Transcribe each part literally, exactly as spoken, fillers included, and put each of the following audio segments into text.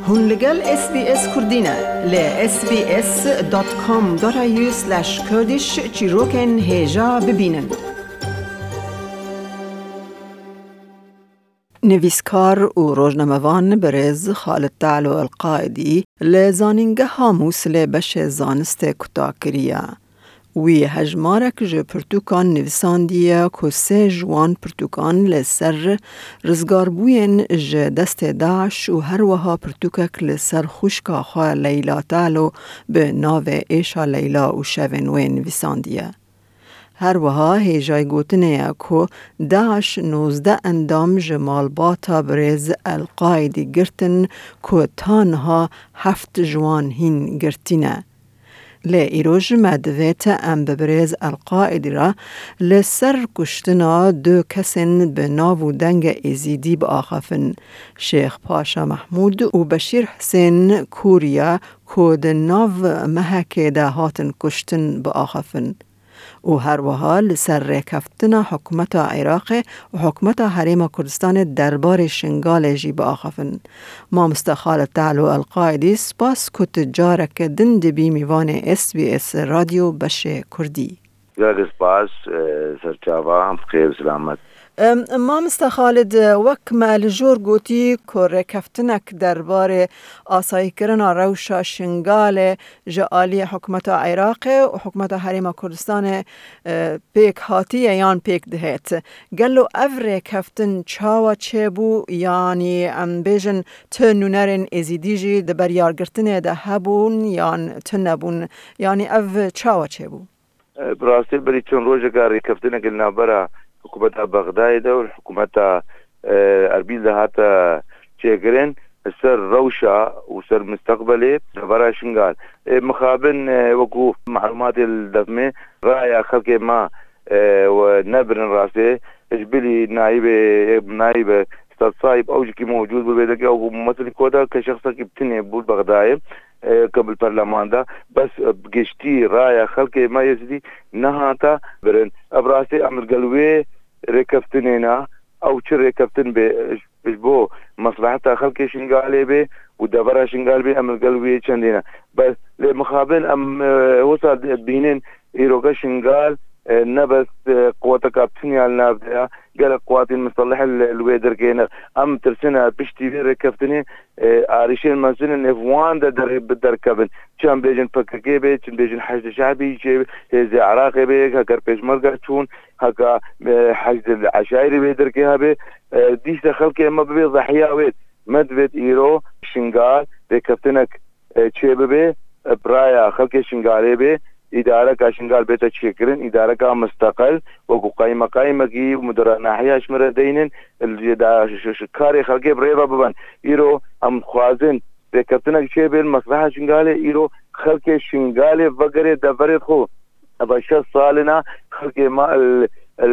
Hûn li gel S B S Kurdî ne. Li S B S dot com dot A U slash Kurdish çîrokên hêja bibînin. Nivîskar û rojnamevan birêz Xalid Talo El Qaidî li Zanîngeha Mûsilê beşê zanistê kuta kiriye. Wî hejmarek ji pirtûkan nivîsandiye ku sê ji wan pirtûkan li ser rizgarbûyên ji destê DAIŞ û her wiha pirtûkek li ser xwişka xwe Leyla Talo bi navê Êşa Leyla û Şevên Wê nivîsandiye. Her wiha hêjayî gotinê ye ku DAIŞ nozdeh endam ji malbata birêz El Qaidî girtin ku ta niha heft ji wan hîn girtî ne. Lê îroj me divêt em bi birêz El Qaidî re li ser kuştina du kesên bi nav û dengê Êzîdî biaxifin, Şêx Paşa Mehmûd û Beşîr Hisên Kûriya ku di nav mehekê de hatin kuştin biaxifin. Û her wiha li ser rêkeftina hikûmeta Iraqê û hikûmeta Herêma Kurdistanê derbarê Şingalê jî biaxifin. Mamoste Xalid Talo El Qaidî, spas ku tu careke din dibî mîvanê S B S Radyo beşê Kurdî. Gelek spas, e, serçava, bi xêr, selamet. Em, Mamoste Xalid, wek me li jor gotî ku rêkeftinek derbarê asayîkirina rewşa Şingalê ji aliyê hikûmeta Iraqê û hikûmeta Herêma Kurdistanê, e, pêk hatiye yan pêk dihêt. Gelo ev rêkeftin çawa çêbû, yanî em bêjin tu nûnerên Êzîdî jî di beryargirtinê de hebûn yan tune bûn, yanî ev çawa çêbû? E, bi rastî berî çend rojeka rêkeftinek li navbera hikûmeta Bexdayê de û hikûmeta, e, Erbîl de hate çêkirin, li ser rewşa û ser misteqbelê devera Şingal. E, mixabin, e, wekû malûmatê li dest me, raya xelkê me, e, we nebirin rastê, ji bilî nayîbê, nayîbe sedsayîb ew jikî mewcûd bû, bê deke ew bû mumesilî koda ke şexsekî bi tinê bû li Bexdayê, e, ke bi perleman de, bes, e, bi giştî raya xelkê me Êzidî nehata birin. Ev rastî em li gel wê rêkeftinê ne, ew çi rêkeftin bê, ji, ji bo mesleheta xelkê Şingalê bê û devera Şingal bê, em li gel wê çendê ne. Bes lê mixabin em, e, wisa dibînin îroke Şingal, e, ne bes, e, quweteka bi tinê ya li nav de ya, gelek quwatên miselih li, li wê derkê ne. Em tirsin e piştî vê rêkeftinê, e, arîşên mezin in, ev wan de derê bi derkevin. Çi em bêjin P K K bê, çi em bêjin Heşdê Şe'bî çê, Hêzê Iraqê bê, heger Pêşmerge çûn, heka, e, Heşdê Eşaîrî wê derkê hebe, e, dîsa xelkê me bibê zehiya wê. Me divêt îro Şingal rêkeftinek, e, çê bibe, e, bi raya xelkê Şingalê bê, îdareka Şingal bête çêkirin, îdareka misteqil, wekû qaymeqaymekî û mudira nahiya ji me re deynin, li da, ş-, ş-, karê xelkê bi rê ve bibin. Îro em dixwazin rêkeftinek çêbin, mesleha Şingalê, îro xelkê Şingalê vegerê deverê xwe. Eva şeş sal in a xelkê me li,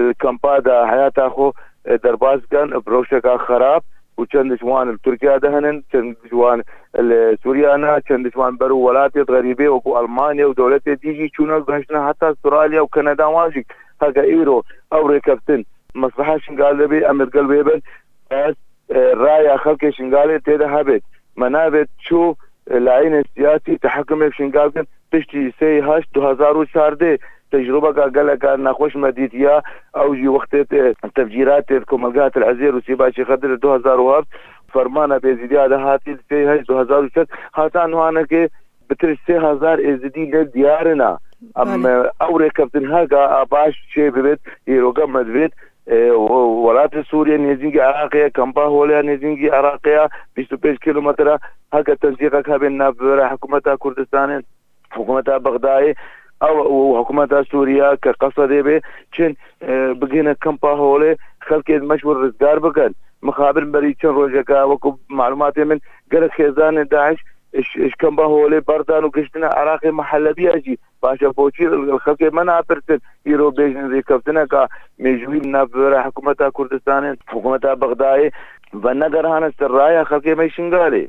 li kampa de heyata xwe, e, derbas dikin, bi rewşeka xerab û çend ji wan li Tirkiye de hene, çend ji wan li Sûriye ne, çend ji wan ber û welatê xerîbê wekû Almanya û dewletê dî jî çûne, gihiştine heta Australya û Kanada, wan jî heke îro ew rêkeftin mesleha Şingal de bê, em li gel wê bin. Ez, e, raya xelkê Şingalê tê de hebêt. Me navêt çû, e, layînên siyasî tehekimê bi Şingal kin piştî sê heşt du hezar û çardeh. Tecrûbeka geleka nexweş me dîtiya, ew jî wextê te-, tevcîratê di Komelgeha Til Ezêr û Sîba Şêxedir li du hezar û heft, fermana Bêzîdiya de hatî li sê heşt du hezar û şeş, heta nihanekê bitir ji sê hezar Êzidî ne diyar in a. Em, Belê. e, ew rêkeftin heka a baş çê bibêt, îroke me divêt, e, û welatê Sûriye nêzîngî Iraqê ye, kampa Holê ya nêzîngî Iraqê ya, bîst û pênc kîlometre, heke tensîqek hebên navbera hikûmeta Kurdistanê, hikûmeta Bexdayê, ew û hikûmeta Sûriye ke Qesedê bê, çin, e, bigihine kampa Holê, xelkê me ji wir rizgar bikin. Mixabin berî çend rojeka, wekû malûmatê min, gelek xêzanê DAIŞ ji, ji kampa Holê berdan û giştine Iraqê, me Helebiya jî. Paşa boçî li xelkê me napirsin, îro bêjin rêkeftineka mêjûyî li navbera hikûmeta Kurdistanê, hikûmeta Bexdayê venegerihane ser raya xelkê me Şingalê.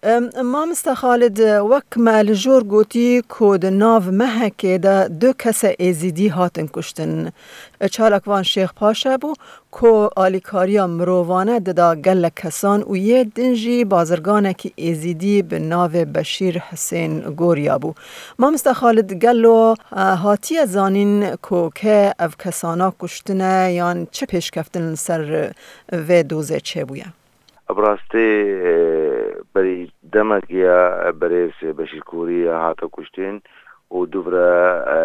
Em, Mamoste Xalid, wek me li jor gotî ku di nav mehekê de du kese Êzîdî hatin kuştin. Çalak van Şêx Paşa bû ku alîkariya mirovane dida gelek kesan û yê din jî bazirganekî Êzîdî bi navê Beşîr Hisên Gorya bû. Mamoste Xalid, gelo, e, hatiye zanîn ku kê ev kesana kuştine yan çi pêşkeftin li ser vê dozê çêbûye? Bi rastî, e, berî demekê ya, e, berêz Beşîr Kûrî ya hate kuştin û dûvre, e,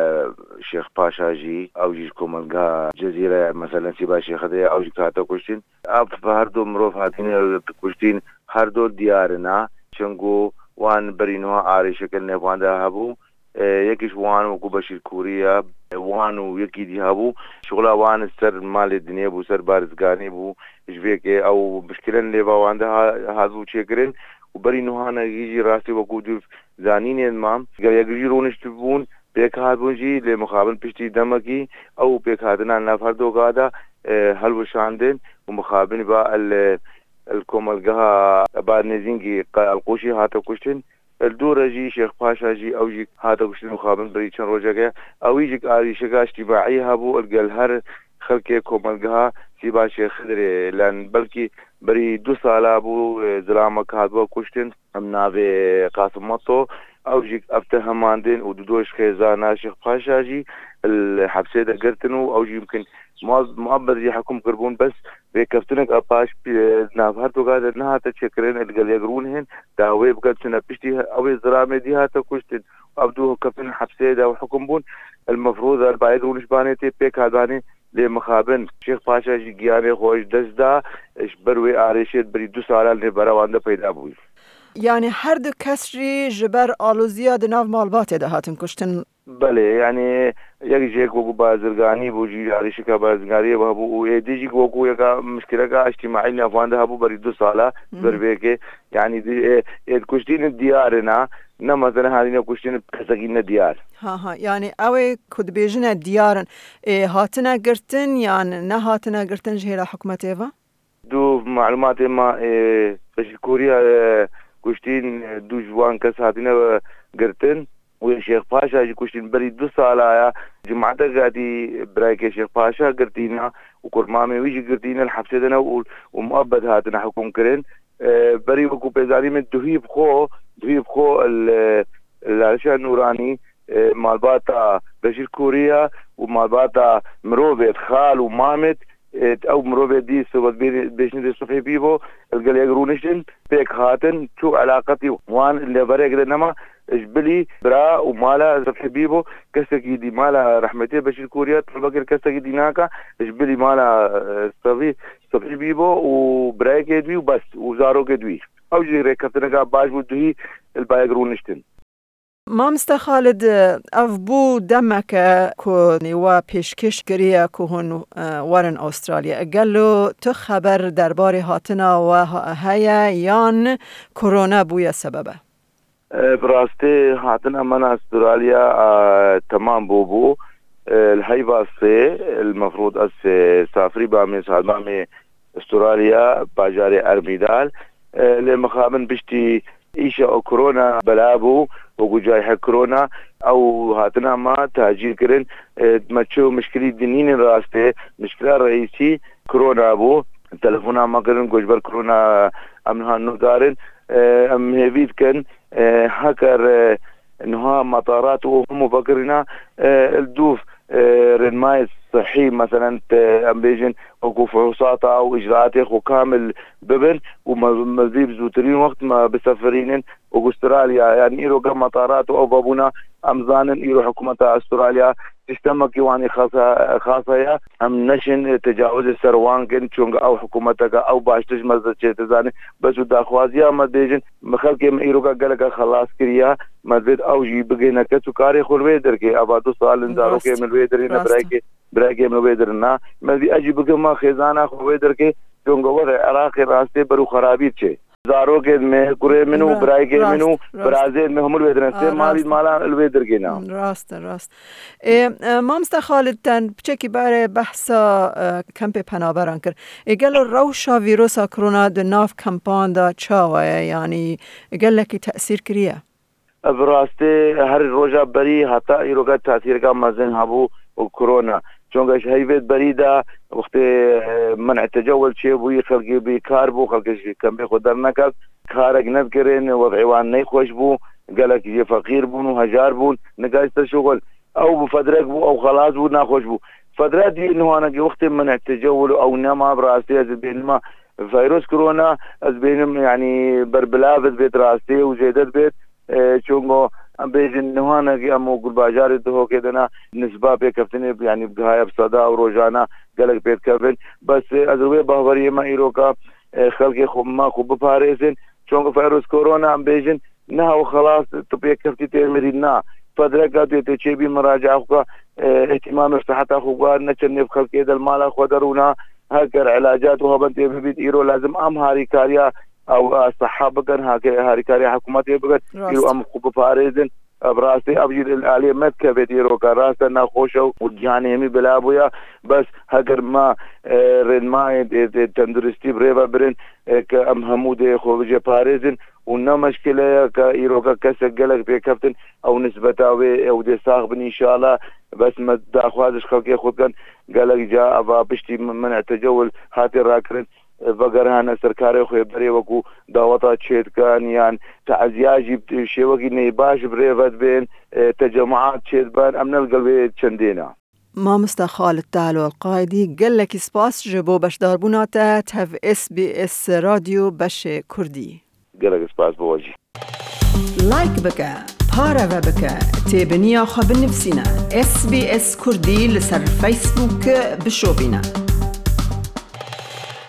Şêx Paşa jî, ew jî ji komelgeha Cezîre, meselen Sîba Şêxidê, ew jî hate kuştin. Ev her du mirov hatine kuştin, her du diyar in, çunku wan berî niha arêşeke nêvande hebû. E, yekî ji wan wekû Beşîr Kûrî ye, e, wan û yekî dî hebû. Şixula wan ser malê dinê bû, ser barizganî bû. Ji vê yekê ew mişkilen nêva wan de ha-, hatibû çêkirin. Û berî nuhanekî jî rastî wekû dûv zanînên ma, gel yek jî rûniştibûn, pêk hatibûn jî, lê mixabin piştî demekî ew pêkhatina nav her doka de, e, helwişandin û mixabin ba el, el komelgeha Eba Nêzîngî Elqûşî hate kuştin. Li dû re jî Şêx Paşa jî, ew jî hate kuştin û xabin berî çend rojeke. Ewî jî arîşeka îctîmaî hebû, li gel her xelkê komelgeha Sîba Şêx Xidirê len. Belkî berî du sala bû, e, zilamek hatibû kuştin. Em navê Qasim Meto, ew jî ev te hemandin û du doş xêzana Şêx Paşa jî li hepsê de girtin û ew jî yimkin muab-, muabbet jî hukm kirbûn, bes rêkeftinek a paş, e, nav her doka de nehate çêkirin, li gel yek rûnihên dawê bikin, çune piştî he-, ew ê zilamê dî hate kuştin. Ev du keftin hepsê de hukm bûn. El mefrûz el bayek rûnişbanê tê pêk hatbanê, lê mixabin Şêx Paşa jî giyanê xwe ji dest da, ji ber wê arêşê berî du sala li nêvbera wan de peyda bû. Yani her du kes jî ji ber aloziya di nav malbatê de hatin kuştin. Belê, yani yek jêk wekû bazirganî bû, jî arîşika bazirganiyê hebû û êdî jî wekû yeka mişkileka îctîmaî navanda hebû berî du sala. Mhm. Ber vêkê, yani di-, ê, ê kuştînin diyar in, ne mesela hatine kuştînin kesekî ne diyar. Ha, ha, yani ew ê ku dibêjine diyar in, ê hatine girtin yan nehatine girtin ji hêla hikûmetê ve? Du malumatê ma, e, Beşîr Kûriya, e, kuştîn, e, du ji wan kes hatine, e, girtin û Şêx Paşa jî kuştîn berî du sala ya. Cumatek hatî birayekê Şêx Paşa girtîna û kurmamê wî jî girtîne, li hepsê de ne û, û muebbet hatine hukm kirin. E, berî wekû pêzanî min duhî bi xwe, duhî bi xwe li, li Lalişa Nûranî, e, malbata Beşîr Kûriya û malbata mirovê xal û mamê, e, ew mirovê dî sohbet bê-, bêşnidê subhê bî bo, li gel yek rûniştin, pêk hatin, çû eleqetî wan li nêverek de nema, ji bilî bira û mala subhê bî bo, kesekî dî mala rehmetê Beşîr Kûriya, talbe kir kesekî dî naka, ji bilî mala, e, subhê, subhê bî bo û birayekê dî û bes û zarokê dî. Ew jî rêkeftineka baş bû, duhî li bayek rûniştin. Mamoste Xalid, ev bû demeke ku we pêşkêş kiriye ku hûn, e, werin Astralya. Gelo tu xeber derbarê hatina we ha-, heye yan korona bûye sebebe? E, bi rastî hatina me Astralya, e, temam bûbû. E, li heyva sê, li mefrûd ez, e, safirî bamê, sal bamê Astralya, bajarê Ermîdal. E, lê mixabin piştî îşa o korona bela bû, wekû cayhe korona, ew hatina ma tacîl kirin. E, me çi mişkilî dinînin rastê, mişkila reîsî korona bû. Telefona me kirin, ku ji ber korona em niha nûdar in. E, em hêvî dikin, e, heker, e, niha metarat û hemû vekirîna, e, li dûv, e, rênmayê sihî, meselen, te, em bêjin, wekû fuhûsata û îcraatê xwe kamil bibin û me, me zî bi zûtirîn wext me bisefirînin Astralya. Yani îro gel metarat û ew vebûna, em zanin îro hikûmeta Astralya sîstemekî wanî xasa-, xas heye. Em neşin tecawizê ser wan kin, çunga ew hikûmeteke ew baştir ji me zî çêdizane. Bes û daxwaziya me dibêjin, me xelkê me îroka geleke xelas kiriye, me divêt ew jî bigihîne kes û karê xwe li wê derkê. Eva du sal in zarokê min li wê derê ne, birayekê, birayekê min li wê derê ne. Me divî ez jî bigihma xêzana xwe wê derkê, çunga wexê Iraqê rastê ber û xerabî diçe. Zarokên me, kurê min û birayekê min û birazên me hemû li wê dirin. Sê malî mala li wê dirgê ne. Rast e, rast. Ê, e, mamoste Xalid, ten piçekî bare behsa, e, kempê penaberan kir. Ê, gelo rewşa vîrosa korona di nav kempan de çawa ye? Yanî gelekî tesîr kiriye? Bi rastî her roja berî heta îroka tesîreka mezin hebû û korona. Çonka ji heyvêt berî de wextê, e, men'e tecewil çêbûyî, xelkê bêkar bû, xelkê ji kempê xwe derneket, karek nedikirin, wez'ê wan neyxweş bû, gelek jê feqîr bûn û hejar bûn, nikaj te şuxul. Ew bi fedrek bû, ew xelas bû, naxweş bû. Fedre dî nihanekî wextê men'e tecewil û ew nema, bi rastî ez bênima virus korona, ez bênim, yanî berbilav dibêt rastî û zêde dibêt. E, çongo em bêjin nihanekî em û gulbajarê Duhokê de ne nisba pêkeftinê, yanî bigihaya bi seda û rojana gelek pêdikevin. Bes, e, ez li wê bahweriyê me îroka, e, xelkê xwe me xwe biparêzin. Çongo virus korona em bêjin niha û xelas tu pêkeftî tê mirî na. Fedreka tu yê tê çêbî miraca xwe, e, îhtîmamê siheta xwe guhar ne çend nêv xelkê de li mala xwe de rûna. Heger ilacat û hebin tê bibît îro lazim em harîkariya ew, e, siha bikin, hake-, harîkariya hikûmetê bikin. Îro em xwe biparêzin. E, bi rastî ev jî li aliyê me dikevêt îroka rast e, nexweş e û cîhanê hemî bila bûye. Bes heger me, e, rênmayên, e, e, tenduristî bi rê ve birin, e, ke em hemû dê xwe bice parêzin û ne meşkile ye ke îroka kesek gelek pêkeftin ew nisbeta wê ew dê sax bin înşallah. Bes me daxwaz ji xelkê xwe dikin, gelek ca eva piştî min, min tecewil hatê rakirin, e, vegerhane ser karê xwe berê wekû daweta çêdikan yan teziya jî bi şêwekî neybaş bi rê ve dibên, e, tecemaat çêdiben, em ne li gel wê çendê ne. Mamoste Xalid Talol Qaydî, gelekî spas ji bo beşdarbûna te tev S B S Radyo beşê Kurdî. Gelek spas bo we jî. Like bike, pareve bike, têbiniya xwe binivîsîne. S B S Kurdî li ser Facebook bişopîne.